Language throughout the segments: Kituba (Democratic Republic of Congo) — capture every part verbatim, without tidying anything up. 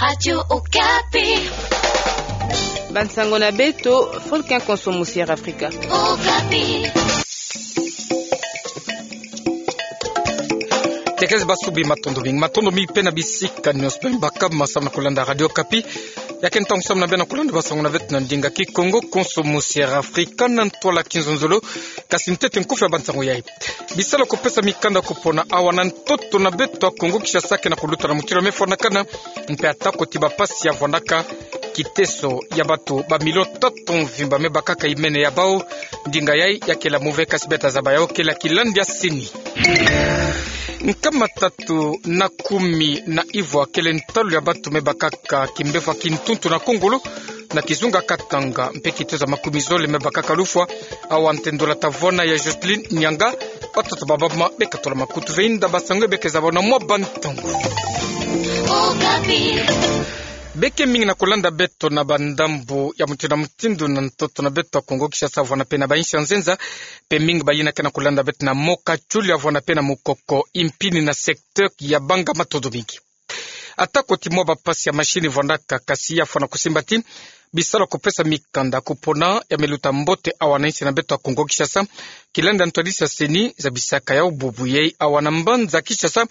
Radio Okapi. Bansango na beto, Volcan Konso Musière Afrika. Okapi. Tekese basubi, matondo mingi. Matondo mingi pe na bisika nyonso pe bakaka masamu na kulanda Radio Okapi. Ya ke ntangu samu na beno na kulanda bansango na beto na ndinga Kikongo, Konso Musière Afrika, na ntwala ya kinzonzolo. Kasi ntete nkufi ya bansango yai. Bisalu ya kupesa mikanda ya kupona awa na ntoto na beto ya Kongo Kinshasa ke na kuluta na mutindu ya mefwanakana, mpe atako ti bampasi ya vwandaka, kiteso ya bato ba million tatu mvimba me bakaka imene ya bau. Ndinga yai ya kele ya move, kasi beta zaba yau kele ya kilandi ya sini. Nkama tatu na kumi na ivwa kele ntalu ya bato me bakaka kimbevo ya kintuntu na Kongolo, na kizunga Katanga, mpe kiteso ya makumi zole me bakaka lufwa. Awa nte ndola tavona ya Jocelyn Nyanga. Batata, bamama, beka tula makutu ve inda bansango yai, beka zaba na mwa bantangu. Beke mingi na kulanda beto na bandambu ya mutindu na mutindu na ntoto na beto ya Kongo Kinshasa, vwanda pe na bainsi ya nzenza, mpe mingi bayina ke na kulanda beto na mboka Tchouly, vwanda pe na Mukoko, Impini na secteur ya Banga. Matondo mingi. Atako ti mwa bampasi ya machine vwandaka, kasi ya fwana kusimba ti bisalu ya kupesa mikanda ya kupona ya me luta mbote awa na insi na beto ya Kongo Kinshasa. Kilandi ya ntwadisi ya seni zabisaka yau bubu yai awa na mbanza Kinshasa,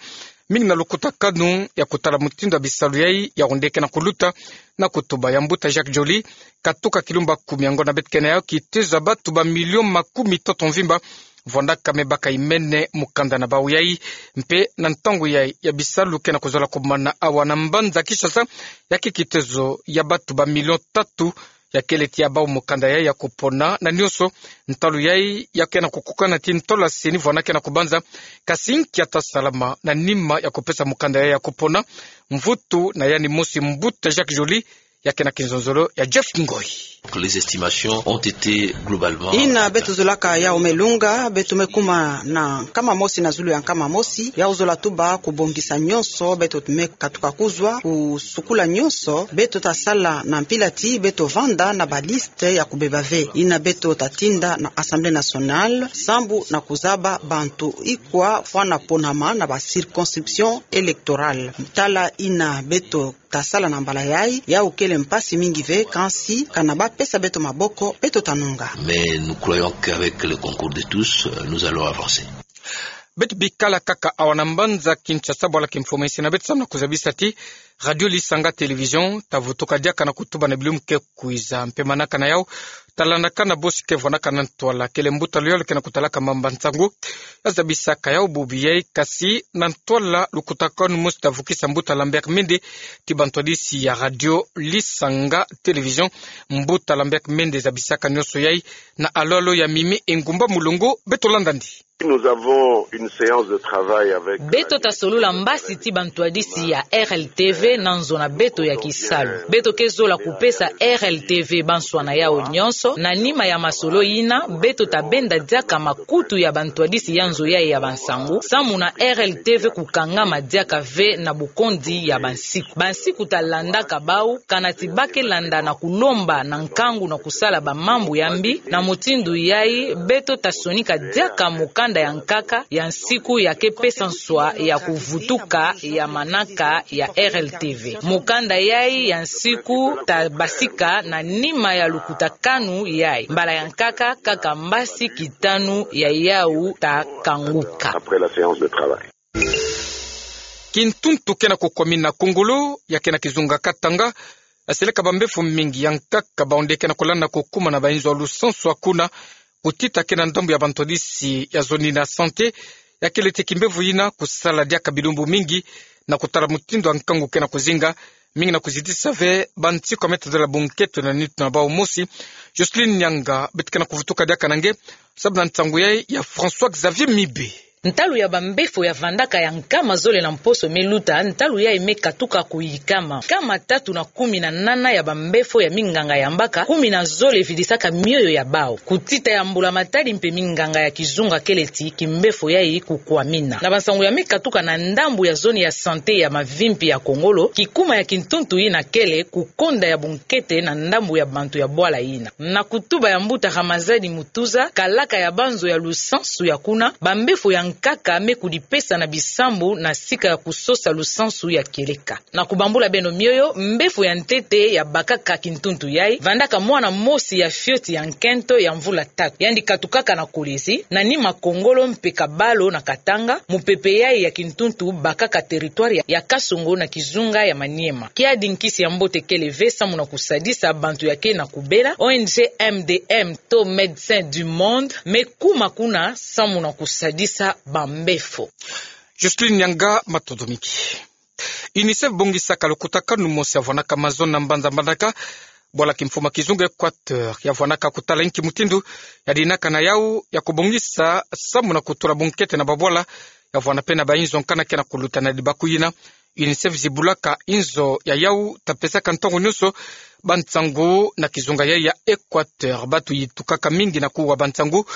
mingi na lukutakanu ya kutala mutindu ya bisalu yai ya onde ke na kuluta. Na kutuba ya mbuta Jacques Joly, katuka kilumba kumi ya ngonda beto ke na yau, kiteso ya bato ba million makumi tatu mvimba vwandaka me baka imene mukanda na bau yai. Mpe na ntangu yai ya bisalu ke na kuzola kumana awa na mbanza Kinshasa, ya ke kiteso ya bato ba million tatu ya kele ti ya bau mukanda yai ya kupona. Na nyonso, ntalu yai ya ke na kukukana ti ntalu ya seni vwanda ke na kubanza, kasi nki ya ta salama na nima ya kupesa mukanda yai ya kupona? Mvutu na yandi mosi, mbuta Jacques Joly, ya ke na kinzonzolo ya Jeff Ngoyi. Les estimations ont été globalement... Ina beto zolaka yau me lunga, beto me kuma na nkama mosi na zulu ya nkama mosi, yau zola tuba kubongisa nyonso beto me katuka kuzwa, kusukula nyonso. Beto ta sala na mpila ti beto vanda na baliste ya kubeba ve. Ina beto ta tinda na Assemblée nationale, sambu na kuzaba bantu ikwa fwana ponama na ba circonscriptions électorales. Tala ina beto ta sala na mbala yai, yau kele mpasi mingi ve, kansi kana bapesa beto maboko, beto ta nunga. Mais nous croyons qu'avec le concours de tous, euh, nous allons avancer. Beto bikala kaka awa na mbanza Kinshasa, bwala kimfumu esi na beto samu na kuzabisa ti Radio Lisanga Télévision ta vutuka diaka na kutuba na bilumbu ke kwiza, mpe manaka na yau ta landaka na bosi ke vwandaka na ntwala, kele mbuta Loyal ke na kutalaka mamba nsangu. Ya zabisaka yau bubu yai, kasi na ntwala lukutakanu mosi ta vukisa mbuta Lambert Mende ti bantwadisi ya Radio Lisanga Télévision. Mbuta Lambert Mende zabisaka nyonso yai na alo-alo ya Mimi Engumba Mulongo. Beto landa'andi. Nous avons une séance de travail avec... Beto ta solola mbasi ti bantwadisi ya R L T V na nzo na beto ya kisalu. Beto ke zola kupesa R L T V banswa na yau nyonso. Na nima ya masolo yina, beto ta benda diaka makutu ya bantwadisi ya nzo yai ya bansangu, samu na R L T V kukangama diaka ve na bukonzi ya bansiku. Bansiku ta landaka bau, kana ti ba ke landa na kulomba na nkangu na kusala bamambu ya mbi. Na mutindu yai, beto ta sonika diaka mukanda ya nkaka ya nsiku ya ke pesa nswa ya kuvutuka ya manaka ya R L T V. Mukanda yai ya nsiku ta basika na nima ya lukutakanu yai. Mbala ya nkaka, kaka mbasi kitanu ya yau ta kanguka. Après la séance de travail. Kintuntu ke na kukwamina Kongolo, ya ke na kizunga Katanga, ya seleka bambefo mingi ya nkaka baonde ke na kulanda kukuma na bainzo ya lusansu ya kuna, kutita ke na ndambu ya bantwadisi ya zone ya santé, ya kele ti kimbefo yina kusala diaka bilumbu mingi na kutala mutindu ya nkangu ke na kuzinga, mingi na kuzitisa ve bansiku ya me tadila bunkete na nitu na bau mosi. Jocelyn Nyanga, beto ke na kuvutuka diaka na nge, sabu na nsangu yai ya François Xavier Mibe. Ntalu ya bambefo ya vandaka ya nkama zole na mposo me luta, ntalu yai me katuka kuyikama. Nkama tatu na kumi na nana ya bambefo ya minganga ya mbaka, kumi na zole vidisaka mioyo ya bau. Kutita ya mbula matadi mpe minganga ya kizunga kele ti kimbefo yai kukwamina. Na bansangu ya me katuka na ndambu ya zone ya santé ya Mavimpi ya Kongolo, kikuma ya kintuntu yina kele kukonda ya bunkete na ndambu ya bantu ya bwala yina. Na kutuba ya mbuta Ramazani Mutuza, kalaka ya banzo ya lusansu ya kuna, bambefo ya nkaka me kudipesa na bisambu na sika ya kusosa lusansu ya kieleka. Na kubambula beno mioyo, mbefo ya ntete ya bakaka kintuntu yai vandaka mwana mosi ya fioti ya nkento ya mvula tatu. Yandi katukaka na Kolwezi, na Nima Kongolo mpe Kabalo na Katanga, mupepe yai ya kintuntu bakaka territoire ya, ya Kasongo na kizunga ya Maniema. Kiadi nkisi ya mbote kele ve samu na kusadisa bantu ya ke na kubela. O N G M D M to Médecins du Monde me kuma kuna samu na kusadisa bambefo. Justine Nyanga, matondo mingi. UNICEF bongisaka lukutakanu mosi ya vwanaka mazono na mbanza Mbandaka, bwala kimfumu ya kizunga Équateur, ya vwanaka kutala inki mutindu ya dinaka na yau ya kubongisa samu na kutula bunkete na babwala ya vwana pe na bainzo nkana ke na kuluta na dibaku yina. UNICEF zibulaka inzo ya yau ta pesaka ntangu nionso bansangu na kizunga yai ya Équateur. Batu yitukaka mingi na kuwa bansangu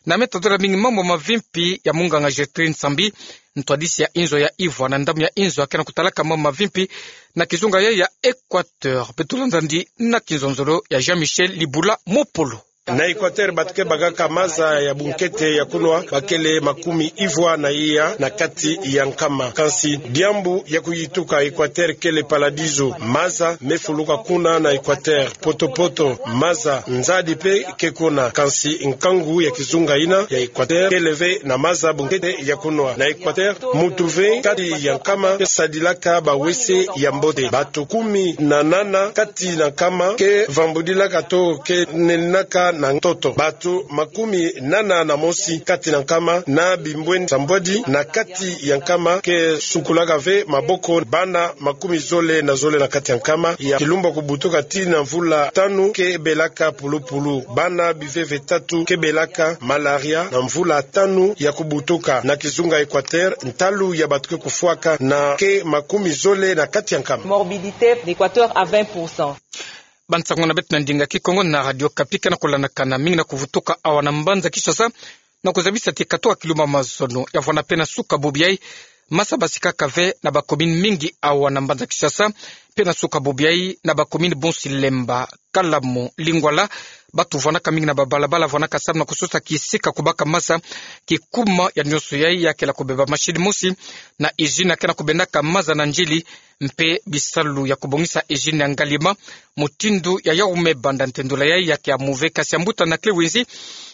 na me tadula mingi mambu mavimpi ya munganga Gertrude Nsambi, ntwadisi ya inzo ya Ivwa na ndambu ya inzo ya ke na kutalaka mambu mavimpi na kizunga yai ya Équateur. Beto landa ndi na kinzonzolo ya Jean-Michel Libula Mopolo. Na Équateur batu ke bakaka maza ya bunkete ya kunwa bakele makumi ivwa na iya na kati ya nkama. Kansi diambu ya kuyituka, Équateur kele paradiso. Maza me fuluka kuna na Équateur. Poto-poto maza, nzadi pe ke kuna. Kansi nkangu ya kizunga yina ya Équateur kele ve na maza bunkete ya kunwa. Na Équateur, muntu ve kati ya nkama ke sadilaka ba W C ya mbote. Batu kumi na nana kati na nkama ke vambudilaka to ke nenaka na ntoto. Batu makumi nana na mosi kati na nkama na bimbweni sambwadi na kati ya nkama ke sukulaka ve maboko. Bana makumi zole na zole na kati ya nkama ya kilumbu ya kubutuka tii na mvula tanu ke belaka pulupulu. Bana biveve tatu ke belaka malaria na mvula tanu ya kubutuka. Na kizunga Équateur, ntalu ya batu ke kufwaka na ke makumi zole na kati ya nkama. Morbidité d'Équateur à vingt pour cent. Bansangu na beto na ndinga Kikongo na Radio Okapi ke na kulandakana mingi na kuvutuka awa na mbanza Kinshasa, na kuzabisa ti katoka kilumbu ya mazono ya vwana pe na suka bubu yai, masa basikaka ve na ba commune mingi awa na mbanza Kinshasa, pe na suka bubu yai na ba commune Bonsi, Lemba, Kalamu, Lingwala. Batu vwanaka mingi na babalabala, vwanaka samu na kusosa kisika kubaka masa. Kikuma ya nionso yai ya kele kubeba machine mosi na usine ya ke na kubendaka maza na njili, mpe bisalu ya kubongisa usine ya Ngaliema, mutindu ya yau me banda ntendula yai ya ke ya muve. Kasi ya mbuta Anaclet Wenzi,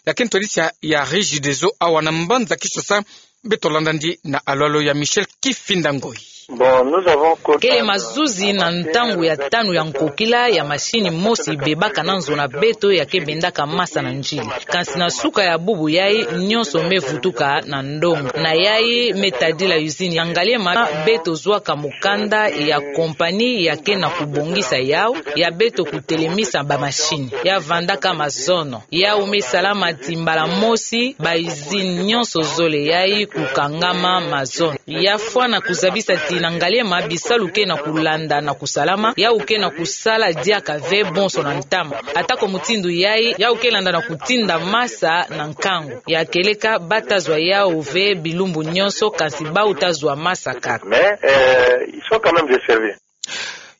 ya ke ntwadisi ya Regideso awa na mbanza Kinshasa, beto landa ndi na alwalo ya Michel Kifinda Ngoi. Bon, nous avons connu... Kele mazuzi na ntangu ya tanu ya nkokila ya machine mosi bebaka na nzo na beto ya ke bendaka masa na njili. Kansi na suka ya bubu yai, nionso me vutuka na ndonga. Na yai me tadila usine ya Ngaliema, beto zwaka mukanda ya compagnie ya ke na kubongisa yau, ya beto kutelemisa ba machine. Ya vandaka mazono. Yau me salama ti mbala mosi ba usine nionso zole yai kukangama mazono. Ya fwana kuzabisa ti na Ngaliema bisalu ke na kulanda na kusalama, yau ke na kusala diaka ve bonso na ntama. Atako mutindu yai, yau ke landa na kutinda masa na nkangu ya kieleka, bata zwa yau ve bilumbu nionso, kansi bau ta zwa masa kaka. Mais, euh, ils sont quand même desservis.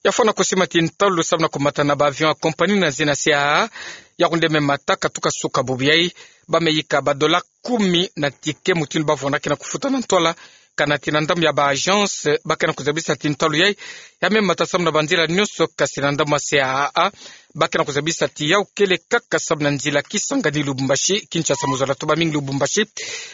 Ya fwana kusima ti ntalu samu na kumata na ba avion ya compagnie na zina C A A, ya kunde me mata katuka suka bubu yai, ba me yika ba dola kumi na ticket mutindu ba vwana ke na kufuta na ntwala. Kana ti na ndambu ya ba agence, ba ke na kuzabisa ti ntalu yai ya me mata samu na banzila nionso, kasi na ndambu ya C A A, ba ke na kuzabisa ti yau kele kaka samu na nzila Kisangani Lubumbashi, Kinshasa mu zola tuba mingi Lubumbashi,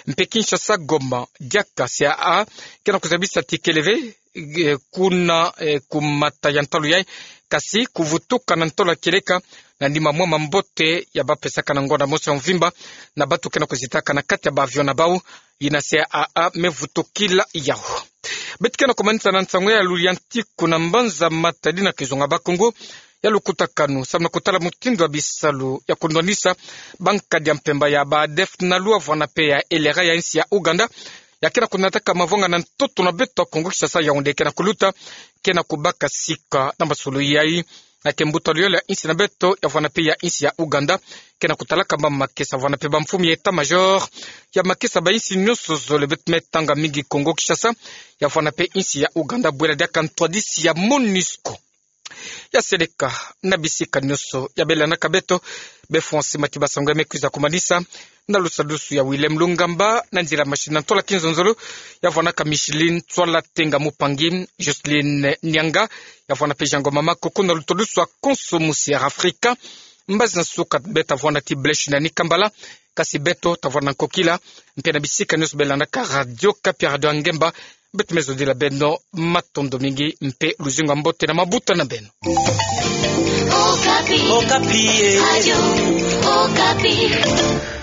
mpe Kinshasa Goma. Diaka C A A ke na kuzabisa ti kele ve, eh, kuna, eh, kumata ya ntalu yai, kasi kuvutuka na ntwala kieleka, na nima mwa mambote ya ba pesaka na ngonda mosi ya mvimba na batu ke na kuzitaka na kati ya ba avion na bau, yina C A A me vutukila yau. Beto ke na kumanisa na nsangu ya luli ya ntiku na mbanza Matadi na kizunga Bakongo, ya lukutakanu samu na kutala mutindu ya bisalu ya kunwanisa bankadi ya mpemba ya ba ADEF-NALU vwana pe ya LRA ya insi ya Ouganda, ya ke na kunataka mavwanga na ntoto na beto ya Kongo Kinshasa, Yaoundé ke na kuluta, ke na kubaka sika na masolo yai. Na ke mbuta luyolo ya insi na beto ya vwana pe ya insi ya Ouganda, ke na kutalaka ba makesa vwana pe ba mfumu ya état-major ya makesa ba insi nionso zole. Beto me tanga mingi Kongo Kinshasa, ya vwana pe insi ya Ouganda, bwela diaka ntwadisi ya MONUSCO. Ya seleka na bisika nionso ya belanaka beto, be fwansi mati ba sango ya me kwiza kumanisa. na lusadusu ya Willem Lungamba, na nzila masini na ntwala kinzonzolo, ya vwanda ka Micheline Tswala Tenga Mupangi, Jocelyne Nianga, ya vwanda pe Jean Ngoma Makoko na lutodusu a konso musi Air Afrika. Mbazi nsukat beta vwanda ti blèche na ni kambala, kasi beto ta vwanda nkokila, mpe na bisika nioso belandaka Radio Okapi, Radio ya Ngemba, beto me zodila beno matondo mingi, mpe luzingu ya mbote na mabuta na beno. Okapi. Okapi, eh. Radio Okapi.